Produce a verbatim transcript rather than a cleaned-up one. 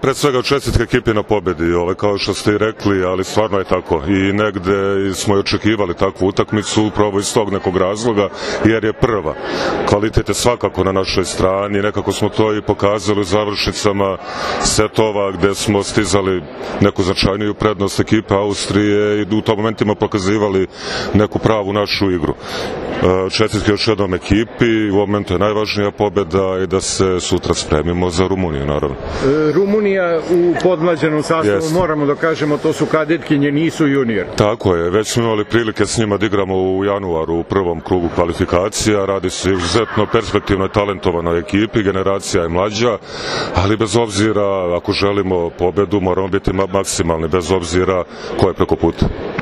Pre svega čestitke ekipi na pobedi, ove, kao što ste i rekli, ali stvarno je tako. I negde smo i očekivali takvu utakmicu upravo iz tog nekog razloga, jer je prva. Kvalitet je svakako na našoj strani, nekako smo to i pokazali u završnicama setova gde smo stizali neku značajniju prednost ekipe Austrije i u tom momentima pokazivali neku pravu našu igru. Čestitke još jednom ekipi, u momentu je najvažnija pobeda i da se sutra spremimo za Rumuniju, naravno. Rumunija u podmlađenom sastavu, yes. Moramo da kažemo, to su kadetkinje, nisu junior. Tako je, već smo imali prilike s njima da igramo u januaru u prvom krugu kvalifikacija, radi se izuzetno perspektivnoj, talentovanoj ekipi, generacija je mlađa, ali bez obzira, ako želimo pobedu, moramo biti maksimalni, bez obzira ko je preko puta.